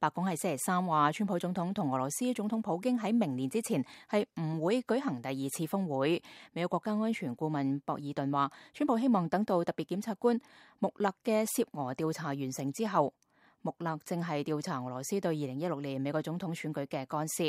白宮喺星期三話，川普總統同俄羅斯總統普京喺明年之前係唔會舉行第二次峰會。美國國家安全顧問博爾頓話，川普希望等到特別檢察官穆勒嘅涉俄調查完成之後。穆勒正係調查俄羅斯對2016年美國總統選舉嘅干涉。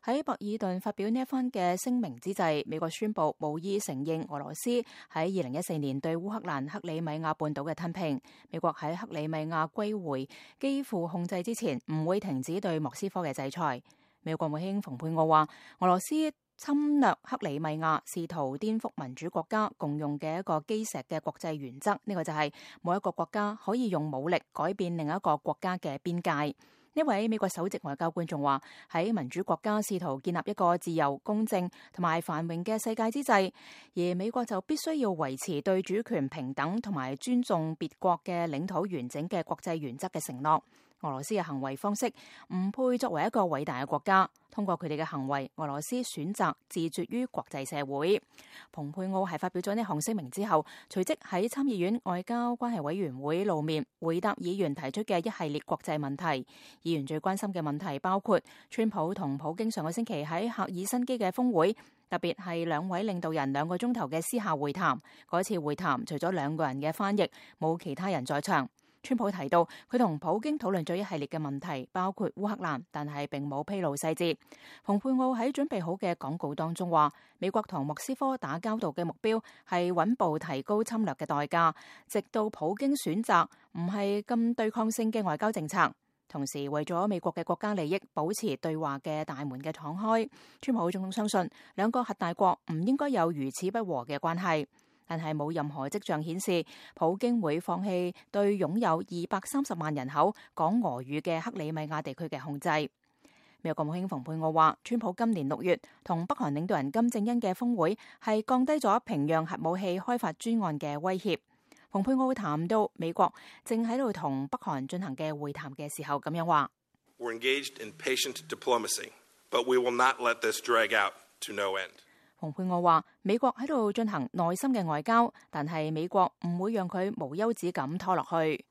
喺博爾頓發表呢一番嘅聲明之際，美國宣布無意承認俄羅斯喺2014年對烏克蘭克里米亞半島嘅吞併。美國喺克里米亞歸回基輔控制之前，唔會停止對莫斯科嘅制裁。美國國務卿蓬佩奧話，俄羅斯侵略克里米亞，試圖顛覆民主國家共用嘅一個基石嘅國際原則，呢個就係冇一個國家可以用武力改變另一個國家嘅邊界。呢位美國首席外交官仲話，喺民主國家試圖建立一個自由、公正同埋繁榮嘅世界之際，而美國就必須要維持對主權平等同埋尊重別國嘅領土完整嘅國際原則嘅承諾。俄羅斯嘅行為方式唔配作為一個偉大嘅國家，通過佢哋嘅行為，俄羅斯選擇自絕於國際社會。蓬佩奧係發表咗呢項聲明之後，隨即喺參議院外交關係委員會露面回答議員提出嘅一系列國際問題。議員最關心嘅問題包括川普同普京上個星期喺赫爾辛基嘅峰會，特別係兩位領導人2個鐘頭嘅私下會談。嗰次會談除咗2個人嘅翻譯，冇其他人在場。川普提到佢同普京討論咗一系列嘅問題，包括烏克蘭，但係並冇披露細節。蓬佩奧喺準備好嘅講稿當中話，美國同莫斯科打交道嘅目標係穩步提高侵略嘅代價，直到普京選擇唔係咁對抗性嘅外交政策。同時為咗美國嘅國家利益，保持對話嘅大門嘅敞開。川普總統相信2個核大國唔應該有如此不和嘅關係。但係冇任何跡象顯示普京會放棄對擁有230萬人口講俄語嘅克里米亞地區嘅控制。美國國務卿蓬佩奧話，川普今年6月同北韓領導人金正恩嘅峰會係降低咗平壤核武器開發專案嘅威脅。蓬佩奧談到美國正喺度同北韓進行嘅會談嘅時候咁樣話：We're engaged in patient diplomacy, but we will not let this drag out to no end. 蓬佩奧話，美國喺度進行耐心嘅外交，但係美國唔會讓佢無休止咁拖落去。